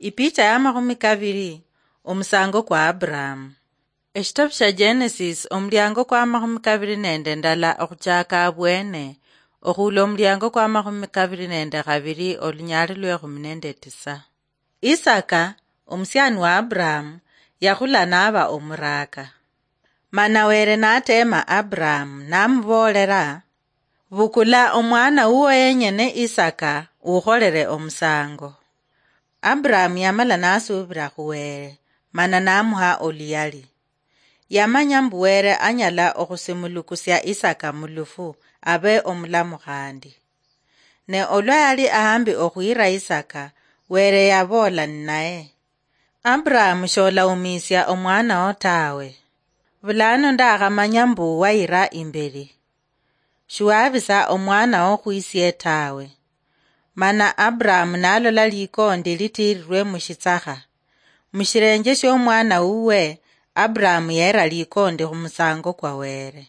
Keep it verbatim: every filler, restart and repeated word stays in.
Ipicha ya makhumi kabiri. Omusango kwa Abrahamu. Eshitabu shia Genesis, omuliango kwa makhumi kabiri nende ndala okhuchaka abwene, okhula omuliango kwa makhumi kabiri nende khabiri, olunyali lwe khumi nende tisa. Isaka, omusiani wa Abrahamu, yakhula naba omuraka. Mana Were natema Abrahamu, namuboolera, "Bukula omwana wuwo yenyene Isaka, ukholere omusango." Abrahamu yamala nasuubira khu Were, mana namuha oluyali. Yamanya mbu Were anyala okhusimulukusia Isaka mulufu, abe omulamu khandi. Ne olwa yali ahambi okhuyira Isaka, Were yaboola ninaye, "Abrahamu, sholawumisia omwanawo tawe. Bulano ndakhamanya mbu wayira imbeli. Shiwabisa omwanawo khwisie tawe." Mana Abrahamu nalola likondi litirirwe mushitsakha. Mushirenje shiomwana wuwe, Abrahamu yera likondi khumusango kwa Were.